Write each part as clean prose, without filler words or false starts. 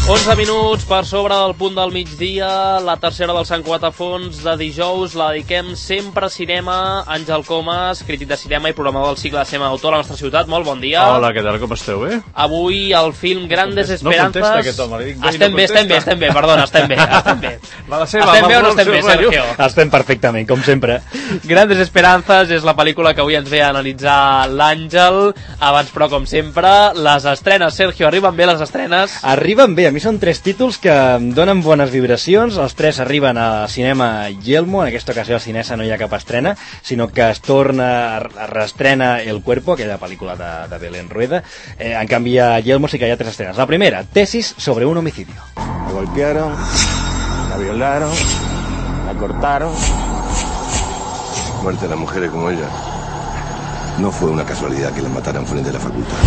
11 minuts per sobre del punt del migdia, la tercera del Sant Quatafons de dijous la dediquem sempre a cinema. Àngel Comas, crític de cinema i programador del cicle de cinema d'autor a la nostra ciutat. Molt bon dia. Hola, què tal, com esteu, bé? Avui el film Grandes Esperanzas... No contesta aquest home, li dic, estem bé, perdona, estem bé. Va de ser, estem bé o no estem bé, Sergio? Estem perfectament, com sempre. Grandes Esperanzas és la pel·lícula que avui ens ve a analitzar l'Àngel. Abans, però, com sempre, les estrenes. Sergio, arriben bé les estrenes? Arriben bé, a mi són 3 títols que em donen bones vibracions. Els 3 arriben a Cinema Yelmo. En aquesta ocasió a Cinesa no hi ha cap estrena, sinó que es torna a reestrena El Cuerpo, aquella pel·lícula de Belén Rueda. En canvi a Yelmo sí que hi ha 3 estrenes. La primera, Tesis sobre un homicidio. La golpearon, la violaron, la cortaron. La muerte de las mujeres como ella no fue una casualidad que la mataran frente a la facultad.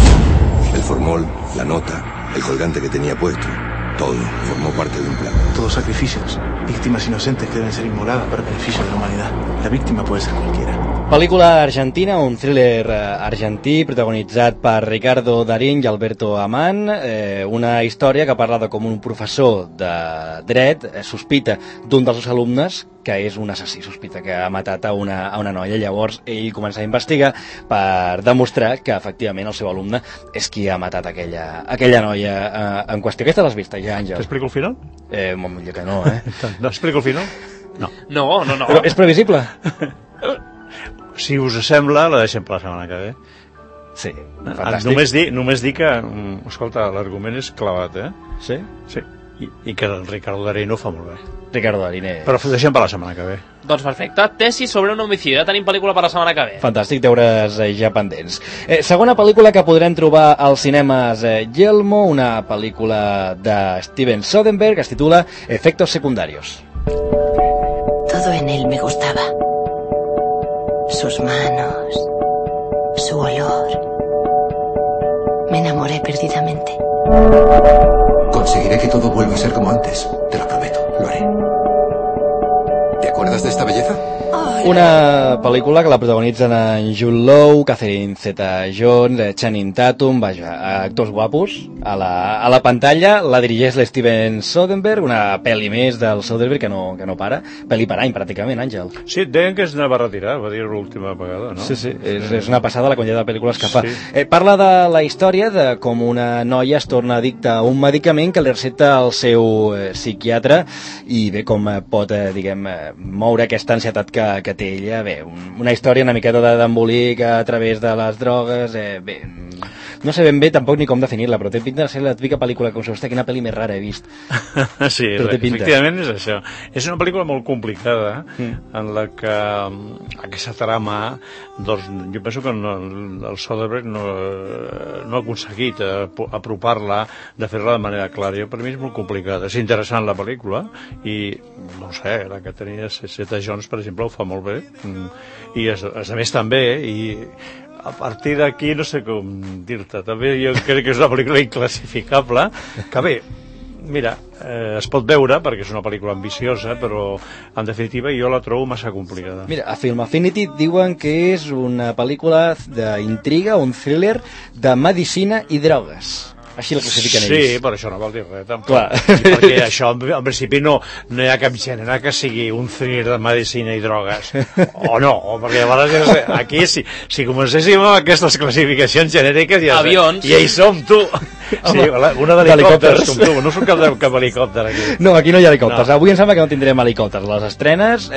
El formol, la nota, el colgante que tenía puesto, todo formó parte de un plan. Todos sacrificios, víctimas inocentes que deben ser inmoladas para beneficio de la humanidad. La víctima puede ser cualquiera. Pel·lícula argentina, un thriller argentí protagonitzat per Ricardo Darín i Alberto Amán, una història que parla de com un professor de dret sospita d'un dels seus alumnes que és un assassí, sospita que ha matat a una noia. Llavors ell comença a investigar per demostrar que efectivament el seu alumne és qui ha matat aquella noia en qüestió. Aquesta l'has vista ja, Àngel? T'explico el final? Molt millor que no, No explico el final? No. No. Però és previsible? Si us sembla, la deixem per la setmana que ve. Sí, fantàstic. Només dir que, escolta, l'argument és clavat, Sí? Sí. I que el Ricardo Darín ho fa molt bé. Ricardo Darín. Però deixem per la setmana que ve. Doncs perfecte, Tesis sobre un homicidi. Ja tenim pel·lícula per la setmana que ve. Fantàstic, deures ja pendents. Segona pel·lícula que podrem trobar als cinemes Yelmo, una pel·lícula de Steven Soderbergh, que es titula Efectos secundarios. Todo en él me gustaba. Sus manos, su olor. Me enamoré perdidamente. Conseguiré que todo vuelva a ser como antes. Te lo prometo, lo haré. ¿Te acuerdas de esta belleza? Una pel·lícula que la protagonitzen en Jude Law, Catherine Zeta-Jones, Channing Tatum, vaja, actors guapos a la pantalla. La dirigeix l'Steven Soderbergh, una pel·li més del Soderbergh que no para. Pel·li per any, pràcticament, Àngel. Sí, deien que es anava a retirar, va dir l'última vegada, no? Sí, és una passada la quantitat de pel·lícules que fa. Sí. Parla de la història de com una noia es torna addicta a un medicament que li receta el seu psiquiatre i bé, com pot, moure aquesta ansietat que té ella. Bé, una història una miqueta d'embolic a través de les drogues. Bé, no sé ben bé tampoc ni com definir-la, però té pinta de ser la típica pel·lícula que hòstia, quina pel·li més rara he vist. Sí, efectivament és això. És una pel·lícula molt complicada en la que aquesta trama, doncs, jo penso que el Soderbergh no ha aconseguit apropar-la, de fer-la de manera clara. Per mi és molt complicada. És interessant la pel·lícula i, no sé, la que tenia Zeta-Jones, per exemple, ho fa molt bé, i a més també, i a partir d'aquí no sé com dir-te, també jo crec que és una pel·lícula inclassificable, que bé, mira, es pot veure perquè és una pel·lícula ambiciosa, però en definitiva jo la trobo massa complicada. Mira, a Film Affinity diuen que és una pel·lícula d'intriga, un thriller de medicina i drogues. Així la classifiquen ells. Sí, però això no vol dir res, tampoc. Clar. Perquè això, en principi, no hi ha cap gènere que sigui un thriller de medicina i drogues. O no, perquè llavors aquí, si comencéssim amb aquestes classificacions genèriques, ja hi som, tu. Sí, una d'helicòpters, com tu. No sóc cap helicòpter, aquí. No, aquí no hi ha helicòpters. No. Avui em sembla que no tindrem helicòpters. Les estrenes,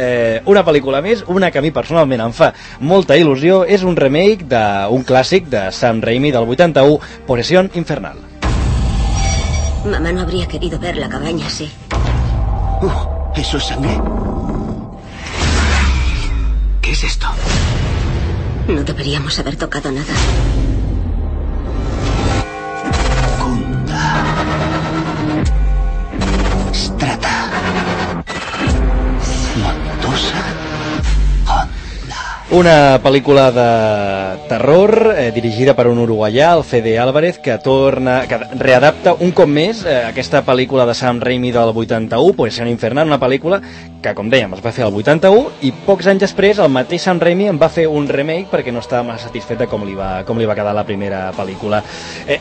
una pel·lícula més, una que a mi personalment em fa molta il·lusió, és un remake d'un clàssic de Sam Raimi del 81, Posesión Infernal. Mamá no habría querido ver la cabaña así. ¿Eso es sangre? ¿Qué es esto? No deberíamos haber tocado nada. Kunda. Strata. Montosa. Honda. Una pel·lícula de terror dirigida per un uruguaià, el Fede Álvarez, que readapta un cop més aquesta pel·lícula de Sam Raimi del 81, Possession Infernal, una pel·lícula que, com dèiem, es va fer al 81 i pocs anys després el mateix Sam Raimi en va fer un remake perquè no estava massa satisfet de com li va quedar la primera pel·lícula.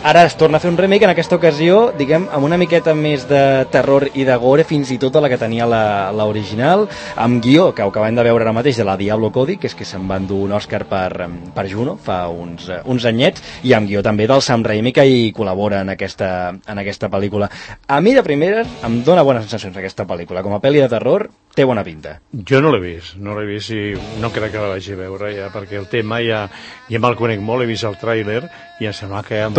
Ara es torna a fer un remake, en aquesta ocasió, diguem, amb una miqueta més de terror i de gore, fins i tot de la que tenia l'original, amb guió, que ho acabem de veure ara mateix, de la Diablo Cody, que és que se'n va endur un Òscar per Juno fa uns anyets, i amb guió també del Sam Raimi, que hi col·labora en aquesta pel·lícula. A mi, de primeres, em dóna bones sensacions aquesta pel·lícula. Com a pel·li de terror, té bona pinta. Jo no l'he vist i no crec que la vagi a veure ja, perquè el tema ja me'l conec molt, he vist el tràiler i em sembla que hi ha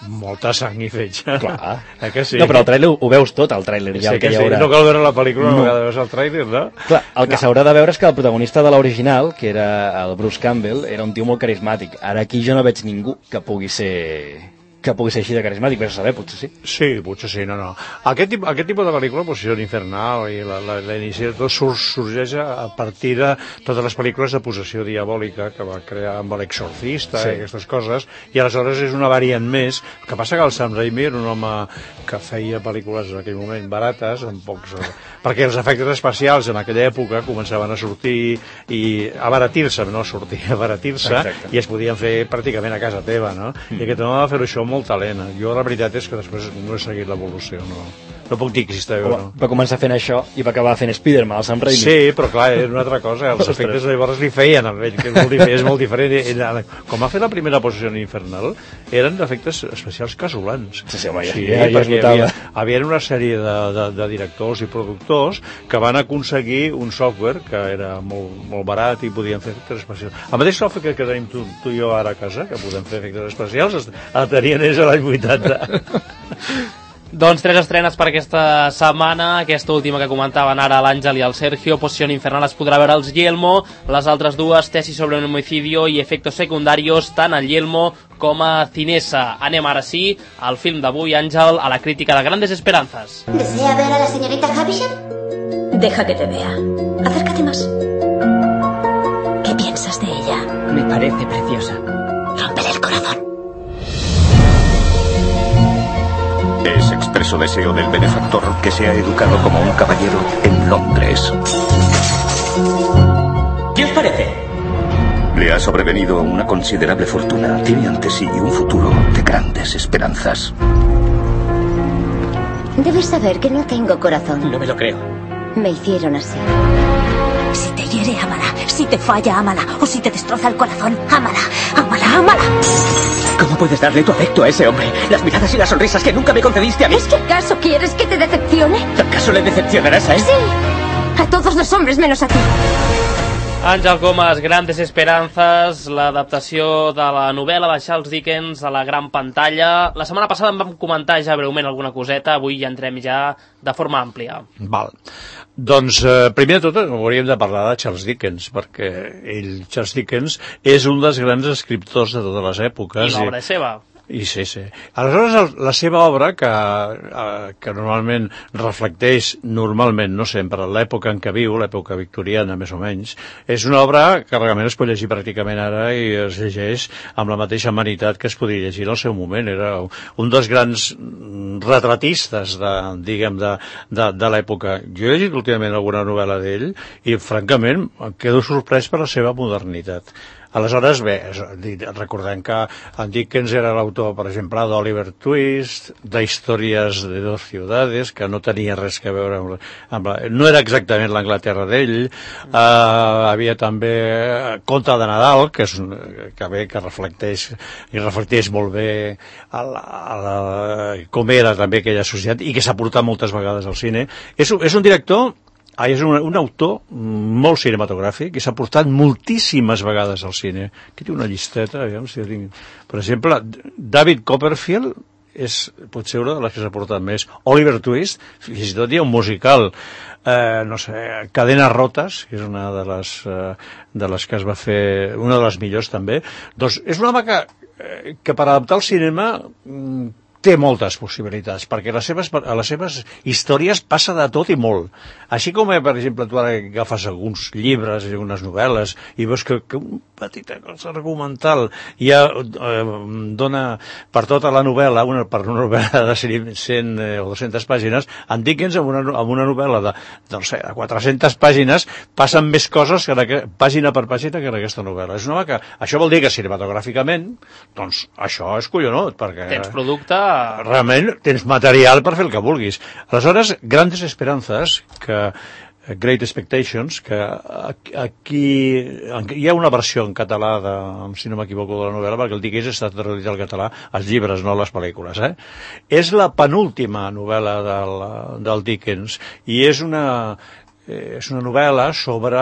molta sang i fetge. Clar. Que sí? No, però el tràiler ho veus tot, el tràiler. Ja sí, que sí, no cal veure la pel·lícula una vegada veus el tràiler, no? Clar, el que s'haurà de veure és que el protagonista de l'original, que era el Bruce Campbell, era un tio molt carismàtic. Ara aquí jo no veig ningú que pugui ser així de carismàtic, però saber, potser sí. Sí, potser sí, no. Aquest tipus de pel·lícula, Possession Infernal i l'inici de tot sorgeix a partir de totes les pel·lícules de possessió diabòlica que va crear amb l'Exorcista i aquestes coses, i aleshores és una variant més. El que passa que el Sam Raimi era un home que feia pel·lícules en aquell moment barates, amb pocs... perquè els efectes especials en aquella època començaven a sortir i a abaratir-se, no a sortir, a abaratir-se, i es podien fer pràcticament a casa teva, no? I aquest home va fer-ho això molt talent. Jo la veritat és que després no he seguit l'evolució, no puc dir que si està bé o no. Va començar fent això i va acabar fent Spider-Man, el Sam Raimi. Sí, però clar, és una altra cosa. Els efectes llavors li feien amb ell, que és molt diferent. Com va fer la primera Possession Infernal, eren efectes especials casolans. Sí, home, ja es notava. Hi havia una sèrie de directors i productors que van aconseguir un software que era molt barat i podien fer efectes especials. El mateix software que tenim tu i jo ara a casa, que podem fer efectes especials, el tenien ells a l'any 80. Doncs 3 estrenes per aquesta setmana, aquesta última que comentaven ara l'Àngel i el Sergio, Possession Infernal es podrà veure als Yelmo, les altres dues, Tesis sobre un homicidio i Efectos secundarios, tant al Yelmo com a Cinesa. Anem ara sí al film d'avui, Àngel, a la crítica de Grandes Esperanzas. ¿Desea ver a la señorita Havisham? Deja que te vea. Acércate más. ¿Qué piensas de ella? Me parece preciosa. Rómpele el corazón. Es expreso deseo del benefactor que sea educado como un caballero en Londres. ¿Qué os parece? Le ha sobrevenido una considerable fortuna. Tiene ante sí un futuro de grandes esperanzas. Debes saber que no tengo corazón. No me lo creo. Me hicieron así. Si te hiere, ámala. Si te falla, ámala. O si te destroza el corazón, ámala. Ámala, ámala. ¿Cómo puedes darle tu afecto a ese hombre? Las miradas y las sonrisas que nunca me concediste a mí. ¿Es que acaso quieres que te decepcione? ¿Acaso le decepcionarás a él? Sí. A todos los hombres menos a ti. Àngel Comas, Grandes Esperanzas, l'adaptació de la novel·la de Charles Dickens a la gran pantalla. La setmana passada en vam comentar ja breument alguna coseta, avui ja entrem ja de forma àmplia. Val. Doncs, primer de tot, hauríem de parlar de Charles Dickens, perquè Charles Dickens, és un dels grans escriptors de totes les èpoques. I l'obra és seva. I sí. Aleshores, la seva obra, que normalment reflecteix, no sempre, l'època en què viu, l'època victoriana, més o menys, és una obra que realment es pot llegir pràcticament ara i es llegeix amb la mateixa amenitat que es podia llegir en el seu moment. Era un dels grans retratistes de l'època. Jo he llegit últimament alguna novel·la d'ell i, francament, em quedo sorprès per la seva modernitat. Aleshores, bé, recordem que en Dickens era l'autor, per exemple, d'Oliver Twist, d'Històries de dos ciudades, que no tenia res a veure amb no era exactament l'Anglaterra d'ell. Havia també Conte de Nadal, que reflecteix molt bé com era també aquella societat i que s'ha portat moltes vegades al cine. És un director... és un autor molt cinematogràfic i s'ha portat moltíssimes vegades al cine. Aquí té una llisteta, aviam si tinc... Per exemple, David Copperfield pot ser una de les que s'ha portat més. Oliver Twist, fins i tot hi ha un musical, Cadenes rotes, que és una de les que es va fer, una de les millors també. Doncs és un home que per adaptar el cinema té moltes possibilitats, perquè a les seves històries passa de tot i molt. Així com, per exemple, tu ara agafes alguns llibres i algunes novel·les i veus que un petit cosa argumental ja dona per tota la novel·la, per una novel·la de 100 o 200 pàgines, en Dickens, amb una novel·la de 400 pàgines, passen més coses pàgina per pàgina que en aquesta novel·la. És una que això vol dir que cinematogràficament, doncs això és collonut, perquè... Tens producte... Realment tens material per fer el que vulguis. Aleshores, Grandes Esperanzas, Great Expectations, que aquí hi ha una versió en català, si no m'equivoco, de la novel·la, perquè el Dickens està traduït al català, els llibres, no les pel·lícules. És la penúltima novel·la del Dickens, i és una novel·la sobre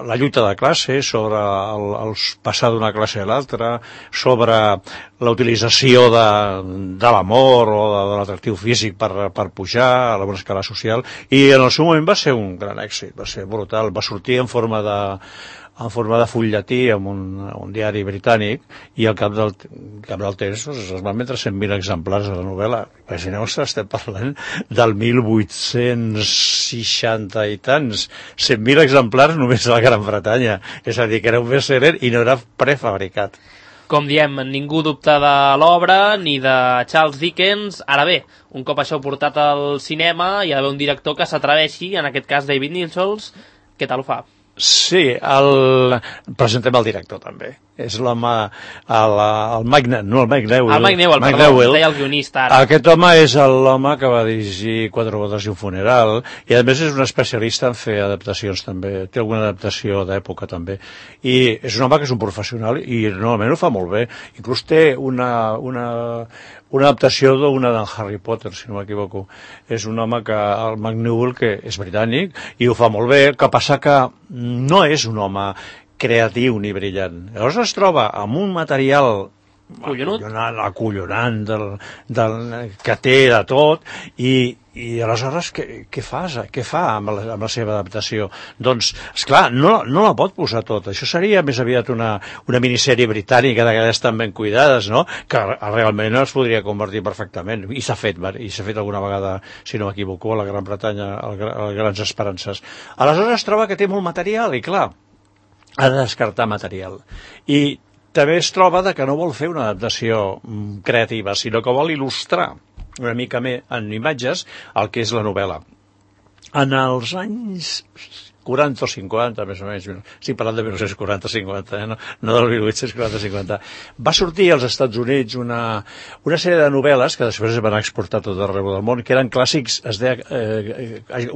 la lluita de classe, sobre el passar d'una classe a l'altra, sobre la utilització de l'amor o de l'atractiu físic per pujar a una escala social, i en el seu moment va ser un gran èxit, va ser brutal, va sortir en forma de full-llatí en un diari britànic, i al cap del temps es van vendre 100.000 exemplars de la novel·la. Imagineu-vos, estem parlant del 1860 i tants, 100.000 exemplars només a la Gran Bretanya, és a dir, que era un best-seller i no era prefabricat. Com diem, ningú dubta de l'obra ni de Charles Dickens. Ara bé, un cop això portat al cinema, hi ha d'haver un director que s'atreveixi, en aquest cas David Nichols. Què tal ho fa? Sí, presentem el director també. És l'home, el Mike Newell, deia el guionista ara. Aquest home és l'home que va dirigir Quatre bodes i un funeral, i a més és un especialista en fer adaptacions també, té alguna adaptació d'època també, i és un home que és un professional i normalment ho fa molt bé. Inclús té una adaptació d'una d'en Harry Potter, si no m'equivoco. És un home el Mike Newell, que és britànic i ho fa molt bé, que passa que no és un home creatiu ni brillant. Llavors es troba amb un material acollonant que té de tot, i aleshores què fa amb la seva adaptació? Doncs, esclar, no la pot posar tot. Això seria més aviat una minissèrie britànica d'aquelles tan ben cuidades, no?, que realment es podria convertir perfectament, i s'ha fet alguna vegada, si no m'equivoco, a la Gran Bretanya, a Grans Esperances. Aleshores es troba que té molt material i, clar, ha de descartar material. I també es troba que no vol fer una adaptació creativa, sinó que vol il·lustrar una mica més en imatges el que és la novel·la. En els anys 40 o 50, més o menys, estic parlant de 1940-50, no del 1840-50, va sortir als Estats Units una sèrie de novel·les que després es van exportar tot arreu del món, que eren clàssics, es deia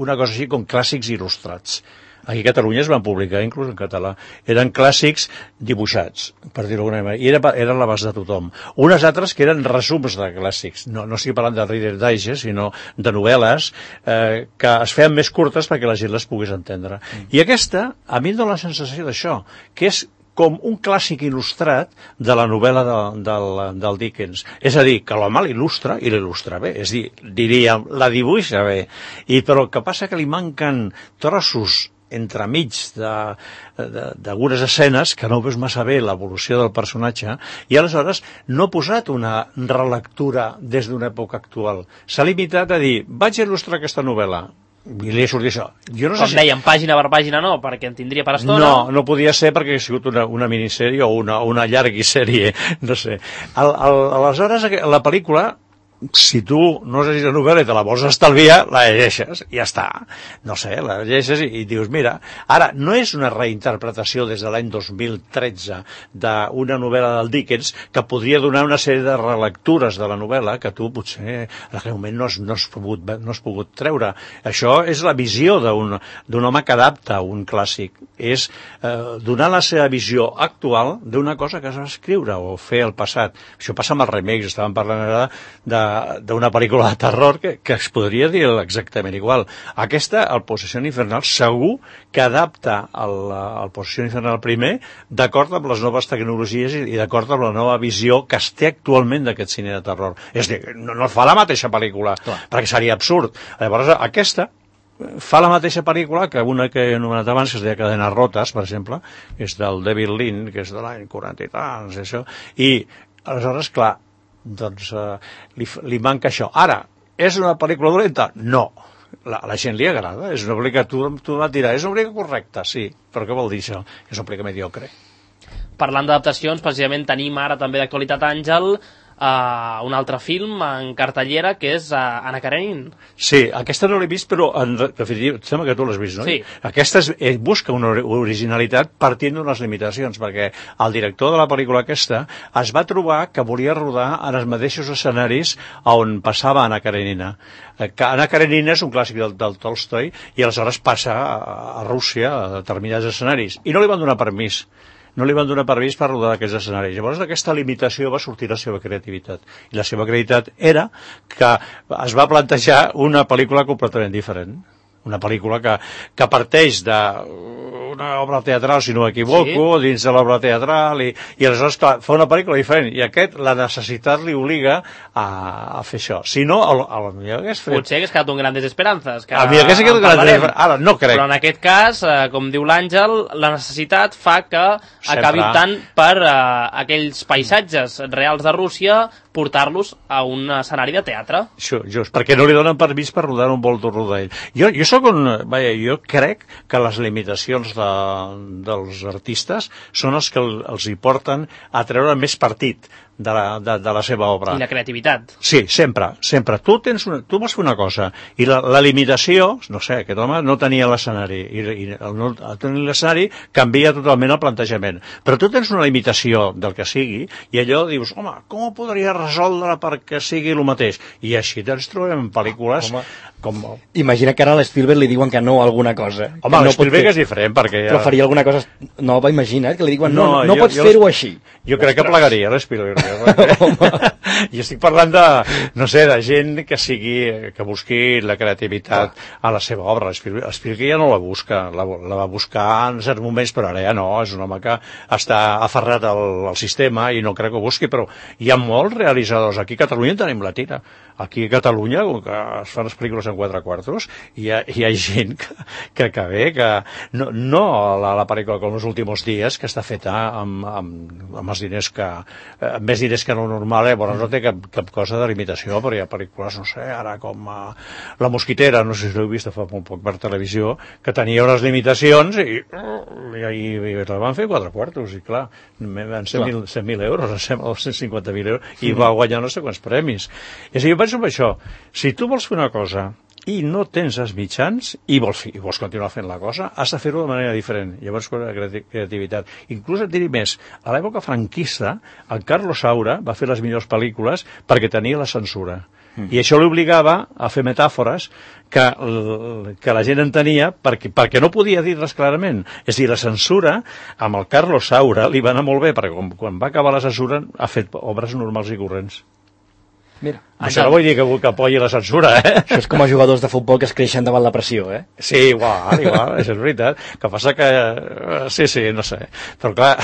una cosa així com clàssics il·lustrats. Aquí a Catalunya es van publicar, inclús en català. Eren clàssics dibuixats, per dir-ho d'alguna manera, i eren a l'abast de tothom. Unes altres que eren resums de clàssics. No estic parlant de Reader's Digest, sinó de novel·les que es feien més curtes perquè la gent les pogués entendre. I aquesta, a mi em dóna la sensació d'això, que és com un clàssic il·lustrat de la novel·la del Dickens. És a dir, que l'home l'il·lustra i l'il·lustra bé. És a dir, diríem, la dibuixa bé. Però el que passa que li manquen trossos entremig d'algunes escenes que no veus massa bé l'evolució del personatge, i aleshores no ha posat una relectura des d'una època actual. S'ha limitat a dir, vaig a il·lustrar aquesta novel·la, i li ha sortit això. Com dèiem, pàgina per pàgina no, perquè en tindria per estona. No podia ser perquè ha sigut una minissèrie o una llarguissèrie, no sé. Aleshores, la pel·lícula, si tu no has llegit la novel·la i te la vols estalviar, la llegeixes i ja està. No sé, la llegeixes i dius, mira, ara, no és una reinterpretació des de l'any 2013 d'una novel·la del Dickens que podria donar una sèrie de relectures de la novel·la que tu potser en aquell moment no has pogut treure. Això és la visió d'un home que adapta un clàssic. És donar la seva visió actual d'una cosa que es va escriure o fer al passat. Això passa amb els remakes, estàvem parlant ara d'una pel·lícula de terror que es podria dir exactament igual. Aquesta, el Possessió Infernal, segur que adapta el Possessió Infernal primer d'acord amb les noves tecnologies i d'acord amb la nova visió que es té actualment d'aquest cine de terror. És a dir, no fa la mateixa pel·lícula, perquè seria absurd. Llavors, aquesta fa la mateixa pel·lícula que una que he anomenat abans, que es deia Cadenes rotes, per exemple, és del David Lean, que és de l'any 40 i tants, això, i aleshores, clar, doncs li manca això. Ara, és una pel·lícula dolenta? No. La gent li agrada, és una pel·lícula que tu vas dir, és una pel·lícula correcta, sí, però què vol dir això? És una pel·lícula mediocre. Parlant d'adaptacions, precisament tenim ara també d'actualitat, Àngel, un altre film en cartellera que és Anna Karenina. Sí, aquesta no l'he vist, però en definitiva, sembla que tu l'has vist, no? Sí. Aquesta busca una originalitat partint d'unes limitacions, perquè el director de la pel·lícula aquesta es va trobar que volia rodar en els mateixos escenaris on passava Anna Karenina. Anna Karenina és un clàssic del Tolstoi i aleshores passa a Rússia a determinats escenaris i no li van donar permís. No li van donar permís per rodar d'aquests escenaris. Llavors d'aquesta limitació va sortir la seva creativitat. I la seva creativitat era que es va plantejar una pel·lícula completament diferent. Una pel·lícula que parteix d'una obra teatral, si no m'equivoco, sí, dins de l'obra teatral, i aleshores fa una pel·lícula diferent, i la necessitat li obliga a fer això. Si no, potser hagués quedat un Grandes Esperances. A mi hagués quedat Grandes Esperances. Ara, no crec. Però en aquest cas, com diu l'Àngel, la necessitat fa que acabi optant per aquells paisatges reals de Rússia, portar-los a un escenari de teatre. Just, perquè no li donen permís per rodar un volto rodell. Jo crec que les limitacions dels artistes són els que els hi porten a treure més partit de la seva obra. I la creativitat. Sí, sempre. Tu vas fer una cosa i la limitació, no sé, aquest home no tenia l'escenari i no tenir l'escenari canvia totalment el plantejament. Però tu tens una limitació del que sigui i allò dius, home, com ho podria resoldre perquè sigui el mateix? I així ens trobem pel·lícules com... Imagina que ara a l'Spielberg li diuen que no a alguna cosa. Home, l'Spielberg és diferent perquè... Però faria alguna cosa nova, imagina't, que li diuen no pots fer-ho així. Jo crec que plegaria l'Spielberg. I estic parlant de, no sé, de gent que busqui la creativitat a la seva obra. Spielberg ja no la busca, la va buscar en certs moments, però ara ja no, és un home que està aferrat al sistema i no crec que ho busqui, però hi ha molts realitzadors. Aquí a Catalunya en tenim la tira. Aquí a Catalunya, que es fan les pel·lícules en 4 quartos, hi ha gent que ve, que no la pel·lícula com Els últimos dies, que està feta amb els diners amb més diners que no normal, bueno, no té cap cosa de limitació, però hi ha pel·lícules, no sé, ara com La Mosquitera, no sé si l'heu vist fa molt poc per televisió, que tenia unes limitacions i la van fer 4 quartos, i clar, van ser 100.000 euros, em sembla, 150.000 euros, i va guanyar no sé quants premis. És a dir, jo penso en això, si tu vols fer una cosa i no tens els mitjans i vols continuar fent la cosa, has de fer-ho de manera diferent. Llavors, la creativitat. Inclús et diré més, a l'època franquista, el Carlos Saura va fer les millors pel·lícules perquè tenia la censura. I això l'obligava a fer metàfores que la gent entenia perquè no podia dir-les clarament. És a dir, la censura, amb el Carlos Saura, li va anar molt bé, perquè quan va acabar la censura ha fet obres normals i corrents. Mira, això no vull dir que apoyi la censura, Això és com a jugadors de futbol que es creixen davant la pressió, Sí, igual, això és veritat. Que passa que... Sí, no sé. Però clar,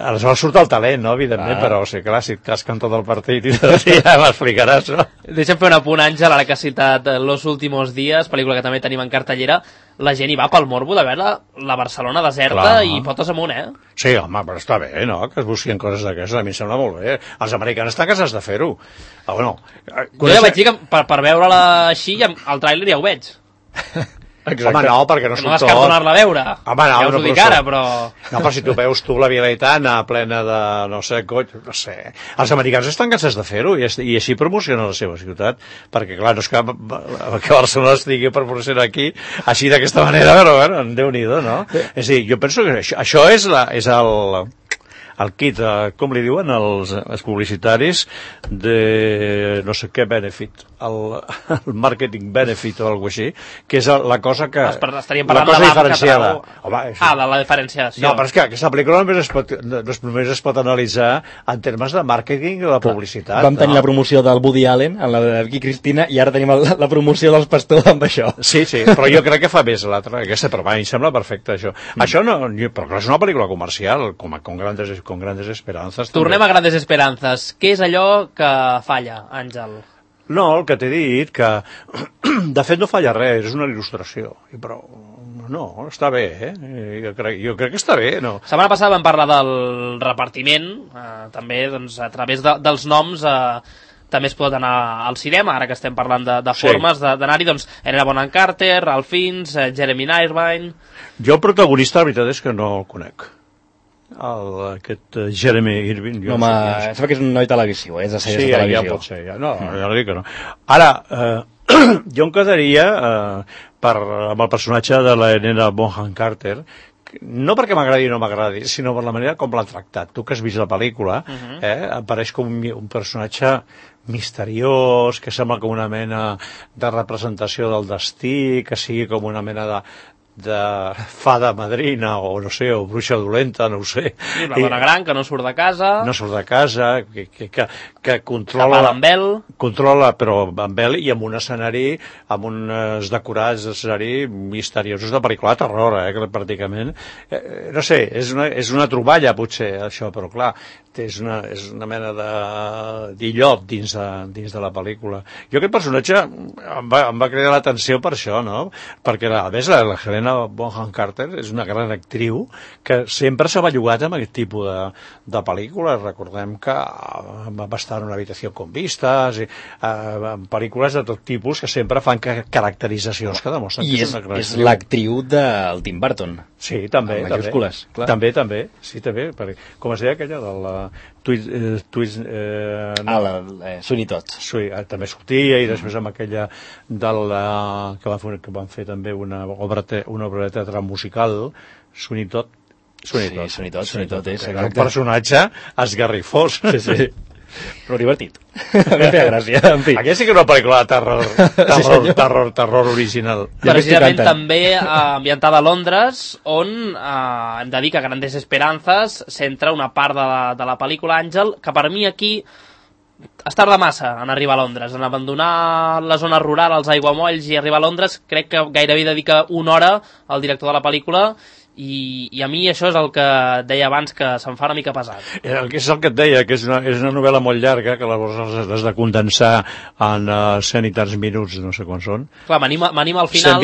aleshores surt el talent, no?, evidentment, però sí, clar, si et casquen tot el partit i ja m'explicaràs, no? Deixa'm fer un apunt, Àngel, ara que has citat Los últimos días, pel·lícula que també tenim en cartellera. La gent hi va pel morbo de veure la Barcelona deserta i potes amunt, Sí, home, però està bé, no?, que es busquin coses d'aquestes, a mi em sembla molt bé. Els americans estan cansats de fer-ho. Jo ja vaig dir que per veure-la així, el tràiler ja ho veig. Exacte. Home, no, perquè no surt tot. No descarto anar-la a veure. Home, no, ja us ho dic ara, però... No, però si tu veus la Via Laietana plena de, no sé, no sé... Els americans estan cansats de fer-ho i així promocionen la seva ciutat, perquè, clar, no és que Barcelona estigui promocionant aquí així d'aquesta manera, però, bueno, Déu-n'hi-do, no? És a dir, jo penso que això és el kit, com li diuen els publicitaris de no sé què benefit, el marketing benefit o alguna així, que és la cosa que... Estaríem parlant de diferenciada. De la diferenciació. No, però és que aquesta pel·lícula només es pot analitzar en termes de màrqueting o de publicitat. Vam tenir la promoció del Woody Allen, en la de Vicky Cristina, i ara tenim la promoció dels pastors amb això. Sí, però jo crec que fa més l'altra, aquesta, però em sembla perfecte això. Això no, però és una pel·lícula comercial, com Grandes Esperanzas. Tornem a Grandes Esperanzas. Què és allò que falla, Àngel? No, el que t'he dit, que de fet no falla res, és una il·lustració, però no, està bé, jo crec que està bé, no? La setmana passada vam parlar del repartiment, també doncs, a través dels noms també es pot anar al cinema, ara que estem parlant de formes d'anar-hi, doncs Helena Bonham Carter, Ralph Fiennes, Jeremy Irvine... Jo el protagonista, la veritat és que no el conec. Aquest Jeremy Irvine... Home, sembla que és un noi televisiu, és de sèries de televisió. Sí, ja pot ser, ja. No, ja dic que no. Ara, jo em quedaria amb el personatge de la Helena Bonham Carter, no perquè m'agradi o no m'agradi, sinó per la manera com l'ha tractat. Tu que has vist la pel·lícula, apareix com un personatge misteriós, que sembla com una mena de representació del destí, que sigui com una mena de fada madrina o no sé, o bruixa dolenta, no ho sé. I una dona gran que no surt de casa. No surt de casa, que controla... Controla, però amb vel i amb un escenari, amb uns decorats d'escenari misteriosos de pel·lícula de terror, pràcticament. No sé, és una troballa, potser, això, però clar, és una mena d'illot dins de la pel·lícula. Jo aquest personatge em va cridar l'atenció per això, no? Perquè a més la Helena Bonham Carter és una gran actriu que sempre s'ha bellugat amb aquest tipus de pel·lícules. Recordem que va estar en Una habitació con vistas, en pel·lícules de tot tipus que sempre fan caracteritzacions que demostren que és una gran actriu. És l'actriu del Tim Burton. Sí, també. Amb majúscules, clar. També. Sí, també. Com es deia aquella de la... Sweeney Todd. Sí, també sortia, i després amb aquella que van fer també una obra de teatre musical, Sweeney Todd. Sweeney Todd és un personatge esgarrifós. Sí. Però divertit. A mi em feia gràcia, en fi. Aquesta sí que és una pel·lícula de terror original. Precisament també ambientada a Londres, on hem de dir que Grandes Esperanzas centra una part de la pel·lícula, Àngel, que per mi aquí es tarda massa en arribar a Londres, en abandonar la zona rural, els aiguamolls, i arribar a Londres. Crec que gairebé dedica una hora al director de la pel·lícula, i a mi això és el que deia abans, que se'm fa una mica pesat. És el que et deia, que és una novel·la molt llarga, que llavors has de condensar en 100 i tants minuts, no sé quants són. Clar, m'anima al final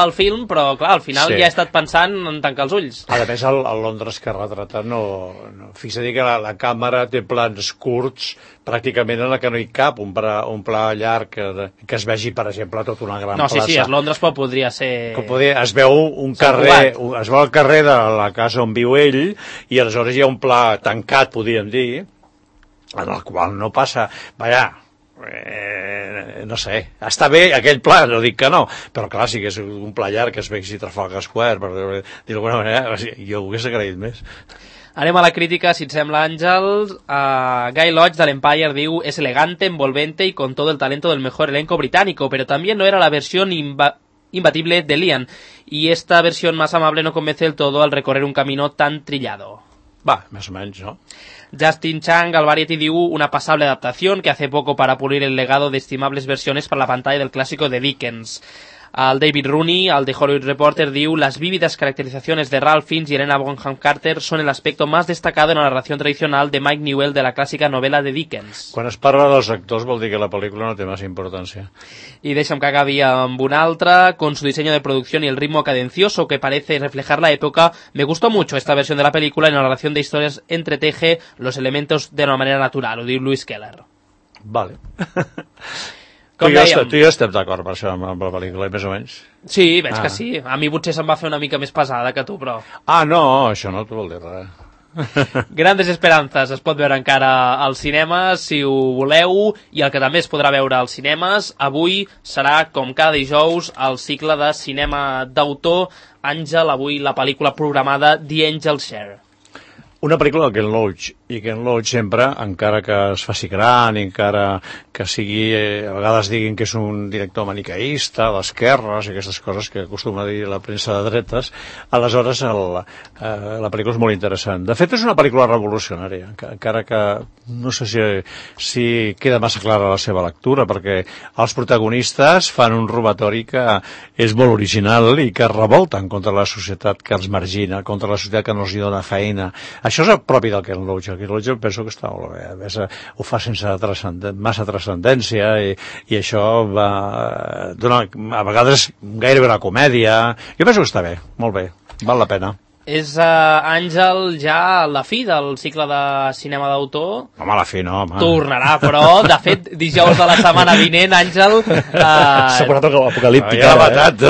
al film, però clar, al final ja he estat pensant en tancar els ulls. A més, el Londres que retrata fixa-t'hi que la càmera té plans curts, pràcticament en la que no hi cap un pla llarg que es vegi, per exemple, tota una gran plaça. Sí, Londres podria ser... Es veu un carrer, es veu el carrer de la casa on viu ell, i aleshores hi ha un pla tancat, podríem dir, en el qual no passa... no sé, està bé aquell pla, no dic que no, però clar, sí que és un pla llarg que es vegi Trafalgar Square, per dir-ho d'alguna manera, jo ho hagués agraït més. Anem a la crítica, si et sembla, Àngel. Guy Lodge de l'Empire diu: es elegante, envolvente y con todo el talento del mejor elenco británico, pero también no era la versión imbatible de Liam, y esta versión más amable no convence del todo al recorrer un camino tan trillado. Más o menos, ¿no? Justin Chang al Variety diu: una pasable adaptación que hace poco para pulir el legado de estimables versiones para la pantalla del clásico de Dickens. Al David Rooney, al The Hollywood Reporter, diu: las vívidas caracterizaciones de Ralph Fiennes y Helena Bonham Carter son el aspecto más destacado en la narración tradicional de Mike Newell de la clásica novela de Dickens. Quan es parla dels actors vol dir que la pel·lícula no té massa importància. Y deixa'm que acabi amb una altra. Con su diseño de producción y el ritmo cadencioso que parece reflejar la época, me gustó mucho esta versión de la película, y la narración de historias entreteje los elementos de una manera natural, ho diu Lewis Keller. Vale. Tu i jo estem d'acord per això amb la pel·lícula, més o menys? Sí, veig que sí. A mi potser se'm va fer una mica més pesada que tu, però... No, això no t'ho vol dir res. Grandes Esperanzas es pot veure encara als cinemes, si ho voleu, i el que també es podrà veure als cinemes avui serà, com cada dijous, el cicle de cinema d'autor. Àngel, avui la pel·lícula programada The Angel's Share. Una pel·lícula de Ken Loach, i Ken Loach sempre, encara que es faci gran, encara que sigui, a vegades diguin que és un director maniqueista, d'esquerres, i aquestes coses que acostuma a dir la premsa de dretes, aleshores la pel·lícula és molt interessant. De fet, és una pel·lícula revolucionària, encara que no sé si queda massa clara la seva lectura, perquè els protagonistes fan un robatori que és molt original i que revolten contra la societat que els margina, contra la societat que no els dona feina. Això és el propi del Ken Loach, el Quirolejo penso que està molt bé. A més, ho fa sense massa transcendència i això va donar, a vegades, gairebé una comèdia. Jo penso que està bé, molt bé, val la pena. És, Àngel, ja la fi del cicle de cinema d'autor? Home, la fi no, home. Tornarà, però, de fet, dijous de la setmana vinent, Àngel... S'ha posat apocalíptica. Ja l'ha matat, tu.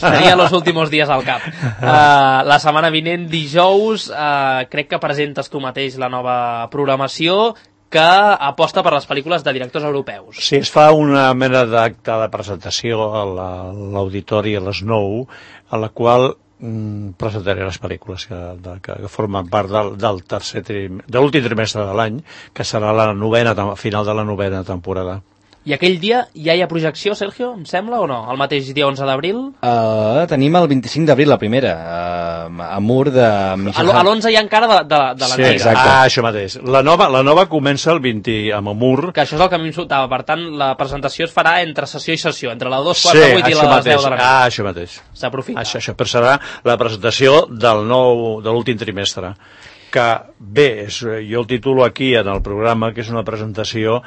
Tenia los últimos días al cap. La setmana vinent, dijous, crec que presentes tu mateix la nova programació que aposta per les pel·lícules de directors europeus. Sí, es fa una mena d'acte de presentació a l'auditori a les 9, a la qual presentaré les pel·lícules que formen part de l'últim trimestre de l'any, que serà final de la 9a temporada. I aquell dia ja hi ha projecció, Sergio, em sembla, o no? El mateix dia 11 d'abril? Tenim el 25 d'abril la primera, a Mur de Michel... A l'11 hi ha encara de l'antiga. Sí, exacte. Això mateix. La nova comença el 20 amb Amur. Que això és el que a mi em soltava. Per tant, la presentació es farà entre sessió i sessió, entre la 2:48 i la 10 de la nit. Això mateix. S'aprofita. Això, però serà la presentació de l'últim trimestre. Que bé, jo el titulo aquí en el programa, que és una presentació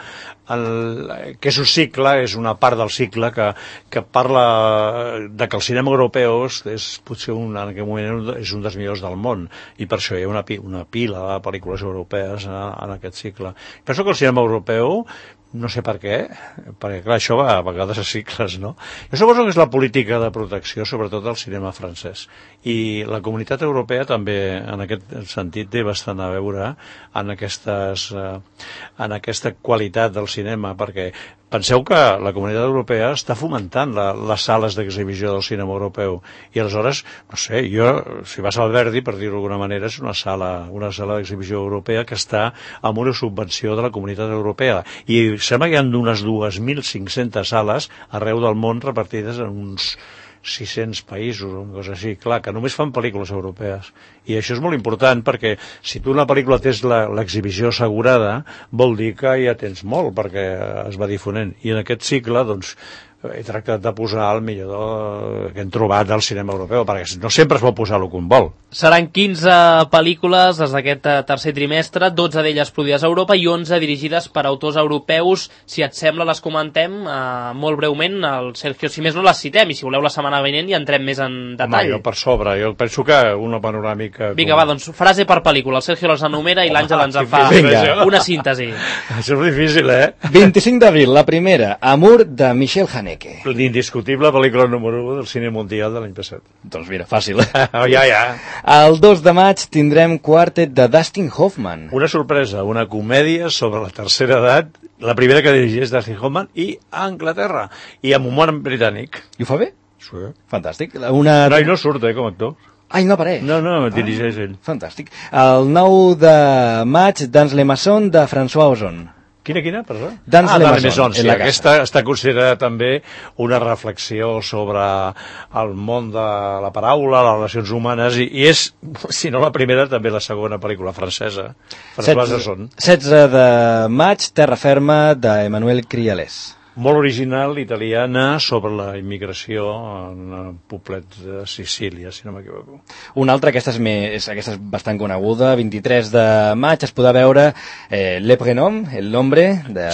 que és un cicle, és una part del cicle que parla de que el cinema europeu és potser en aquest moment és un dels millors del món, i per això hi ha una pila de pel·lícules europees en aquest cicle. Penso que el cinema europeu, no sé per què, perquè clar, això va a vegades a cicles, no? Jo suposo que és la política de protecció, sobretot del cinema francès, i la comunitat europea també en aquest sentit té bastant a veure en aquesta qualitat del cinema, perquè penseu que la comunitat europea està fomentant les sales d'exhibició del cinema europeu, i aleshores, no sé, si vas al Verdi, per dir-ho d'alguna manera, és una sala d'exhibició europea que està amb una subvenció de la comunitat europea, i sembla que hi ha unes 2.500 sales arreu del món repartides en uns 600 països o una cosa així. Clar, que només fan pel·lícules europees. I això és molt important perquè si tu una pel·lícula tens l'exhibició assegurada, vol dir que ja tens molt perquè es va difonent. I en aquest cicle, doncs, he tractat de posar el millor que hem trobat del cinema europeu, perquè no sempre es pot posar el que un vol. Seran 15 pel·lícules des d'aquest tercer trimestre, 12 d'elles produïdes a Europa i 11 dirigides per autors europeus. Si et sembla, les comentem molt breument. El Sergio, si més no, les citem, i si voleu la setmana vinent ja entrem més en detall. Home, jo per sobre, jo penso que una panoràmica... Vinga, va, doncs frase per pel·lícula. El Sergio les enumera i l'Àngel ens en fa una síntesi. Això és difícil, 25 d'abril, la primera, Amur, de Michel Haneke. L'indiscutible pel·lícula número 1 del cine mundial de l'any passat. Doncs mira, fàcil. Ja. El 2 de maig tindrem Quartet de Dustin Hoffman. Una sorpresa, una comèdia sobre la tercera edat, la primera que dirigeix Dustin Hoffman, i a Anglaterra, i amb humor britànic. I ho fa bé? Sí. Fantàstic. No, i no surt, com a actor. Ai, no apareix? No, dirigeix ell. Fantàstic. El 9 de maig, Dans les Maçons, de François Ozon. Quina, perdó? Dans les Maçons, sí, aquesta està considerada també una reflexió sobre el món de la paraula, les relacions humanes, i és, si no la primera, també la segona pel·lícula francesa. 16 de maig, Terra ferma, d'Emmanuel Crialès. Molt original, italiana, sobre la immigració en el poblet de Sicília, si no m'equivoco. Una altra, aquesta és bastant coneguda, 23 de maig es podrà veure Le Prénom, el nombre, de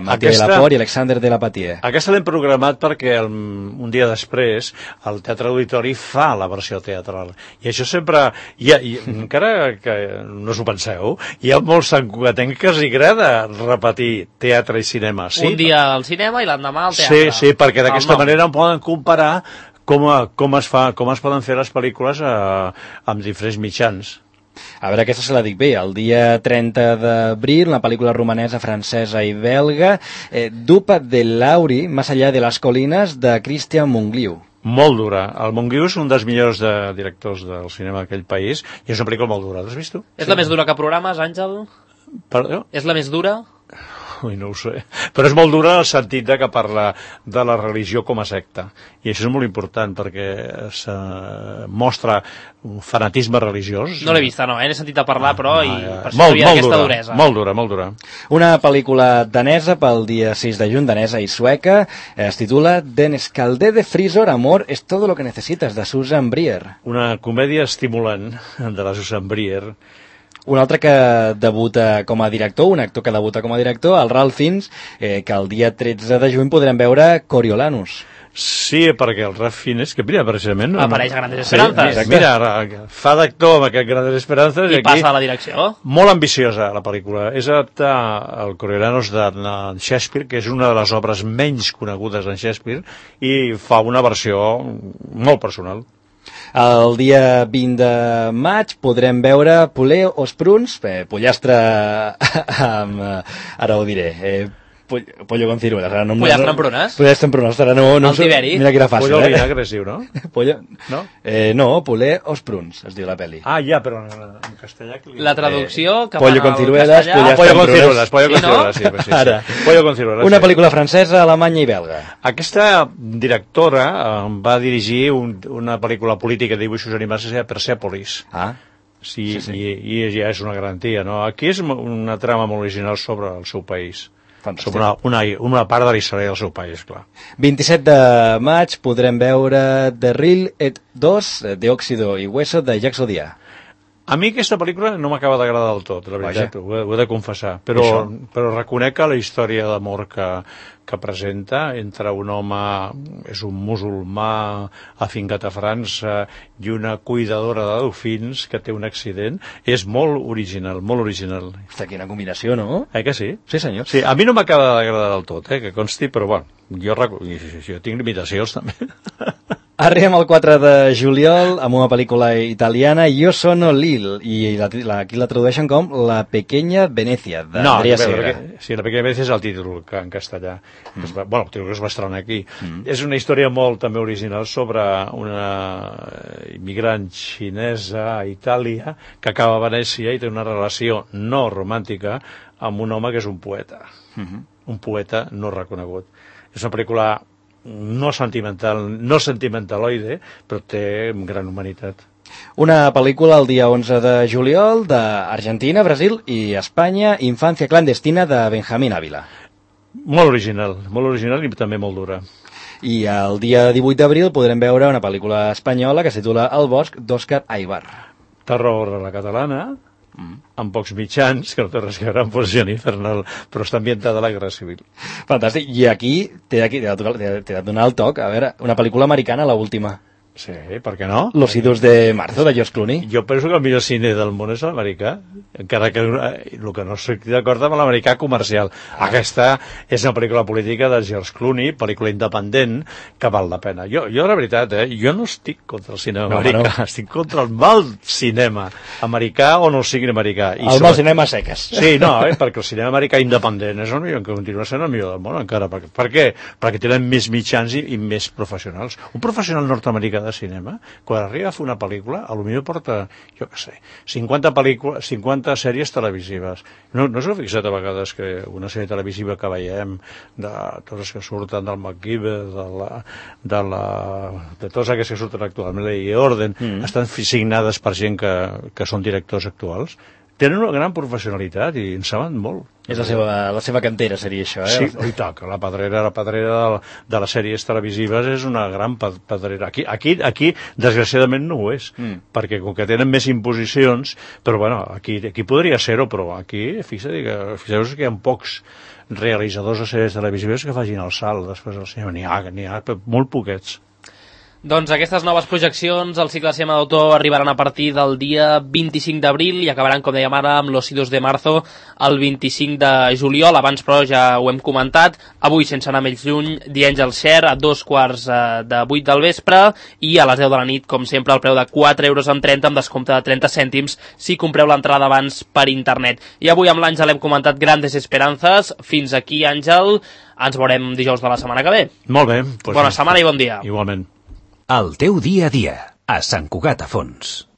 Mathieu Delaporte i Alexander Delapatie. Aquesta l'hem programat perquè un dia després el Teatre Auditori fa la versió teatral. I això sempre, encara que no us ho penseu, hi ha molts santcugatencs que els agrada repetir teatre i cinema. Sí? Un dia al cinema i l'endemà al teatre. Sí, perquè d'aquesta manera poden comparar com es poden fer les pel·lícules amb diferents mitjans. A veure, aquesta se la dic bé. El dia 30 d'abril, una pel·lícula romanesa, francesa i belga, Dupa de Lauri, Más allá de las colinas, de Christian Mungliu. Molt dura. El Mungliu és un dels millors directors del cinema d'aquell país i és una pel·lícula molt dura. L'has vist tu? És la més dura que programes, Àngel? Perdó? És la més dura? Ui, no ho sé. Però és molt dura en el sentit que parla de la religió com a secta. I això és molt important perquè se mostra un fanatisme religiós. No l'he vista, no, n'he sentit a parlar, però i per això hi havia aquesta duresa. Molt dura. Una pel·lícula danesa pel dia 6 de juny, danesa i sueca, es titula Den Skalde de Frisor, Amor es todo lo que necesitas, de Susan Brier. Una comèdia estimulant de la Susan Brier, Un altre que debuta com a director, un actor que debuta com a director, el Ralph Fiennes, que el dia 13 de juny podrem veure Coriolanus. Sí, perquè el Ralph Fiennes, que mira, precisament... Apareix a Grandes Esperances. Sí, mira, fa d'actor amb aquest Grandes Esperances i passa a la direcció. Molt ambiciosa, la pel·lícula. És adaptar el Coriolanus de Shakespeare, que és una de les obres menys conegudes en Shakespeare, i fa una versió molt personal. El dia 20 de maig podrem veure Poulet aux prunes, pollastre amb... ara ho diré... pollo con ciruelas. Pollastre amb prunes? Pollastre amb prunes. Ara no el tiberi. Mira que era fàcil, pollo al vinagre, sí, no? Pollo... No? No, Poulet aux prunes, es diu la pel·li. Ah, ja, però en castellà... La traducció... pollo con ciruelas, pollo con ciruelas, sí. Ara, pollo con ciruelas. Una pel·lícula francesa, alemanya i belga. Aquesta directora va dirigir una pel·lícula política de dibuixos animats que es deia Persepolis. Sí. I ja és una garantia, no? Aquí és una trama molt original sobre el seu país. Fantàstic. Sobre una part de la història del seu país, clar. 27 de maig podrem veure The Real et 2, Diòxido i Hueso, de Jacques Audiard. A mi aquesta pel·lícula no m'acaba d'agradar del tot, la veritat, ho he de confessar, però reconec que la història d'amor que presenta entre un home, és un musulmà afincat a França, i una cuidadora de delfins que té un accident, és molt original, molt original. Hosta, quina combinació, no? Que sí? Sí, senyor. Sí, a mi no m'acaba d'agradar del tot, que consti, però bueno, jo tinc limitacions també. Arribem al 4 de juliol amb una pel·lícula italiana, Io sono Lil, i aquí la tradueixen com La pequeña Venècia, d'Andrea Segre. Sí, La pequeña Venècia és el títol en castellà. El títol es va estrenar aquí. És una història molt també original sobre una immigrant xinesa a Itàlia que acaba a Venècia i té una relació no romàntica amb un home que és un poeta. Un poeta no reconegut. És una pel·lícula no sentimentaloide, però té gran humanitat. Una pel·lícula el dia 11 de juliol d'Argentina, Brasil i Espanya, Infancia clandestina, de Benjamín Ávila. Molt original i també molt dura. I el dia 18 d'abril podrem veure una pel·lícula espanyola que es titula El bosc, d'Òscar Aybar. Terror a la catalana, amb pocs mitjans, que no té res a veure amb Posició Infernal, però està ambientada a la Guerra Civil. Fantàstic. I aquí t'he de donar el toc. A veure, una pel·lícula americana, l'última. Sí, per què no? Los Idus de Marzo, de George Clooney. Jo penso que el millor cine del món és l'americà, encara que el que no estic d'acord amb l'americà comercial. Aquesta és una pel·lícula política de George Clooney, pel·lícula independent, que val la pena. Jo la veritat, jo no estic contra el cinema americà, estic contra el mal cinema americà o no sigui americà. El mal cinema seques. Sí, no, perquè el cinema americà independent és el millor, que continua sent el millor del món encara. Per què? Perquè tenen més mitjans i més professionals. Un professional nord-americà de cinema, quan arriba a fer una pel·lícula, potser porta, jo què sé, 50 sèries televisives. No us heu fixat a vegades que una sèrie televisiva que veiem, de totes les que surten del MacGyver, de totes aquestes que surten actualment, i Orden, estan signades per gent que són directors actuals? Tenen una gran professionalitat i en saben molt. És la seva cantera, seria això, Sí, i tant, la pedrera de les sèries televisives és una gran pedrera. Aquí desgraciadament, no ho és, perquè com que tenen més imposicions, però bueno, aquí podria ser-ho, però aquí, fixeu-vos que hi ha pocs realitzadors de sèries televisives que facin el salt després del cinema. N'hi ha molt poquets. Doncs aquestes noves projeccions al cicle Cinema d'autor arribaran a partir del dia 25 d'abril i acabaran, com dèiem ara, amb Los Idus de Marzo el 25 de juliol. Abans, però, ja ho hem comentat. Avui, sense anar més lluny, The Angel's Share a 2:15 del vespre i a les 10 de la nit, com sempre, al preu de 4,30 € amb descompte de 30 cèntims si compreu l'entrada abans per internet. I avui amb l'Àngel hem comentat Grandes Esperanzas. Fins aquí, Àngel. Ens veurem dijous de la setmana que ve. Molt bé. Bona setmana i bon dia. Igualment. El teu dia a dia, a Sant Cugat a Fons.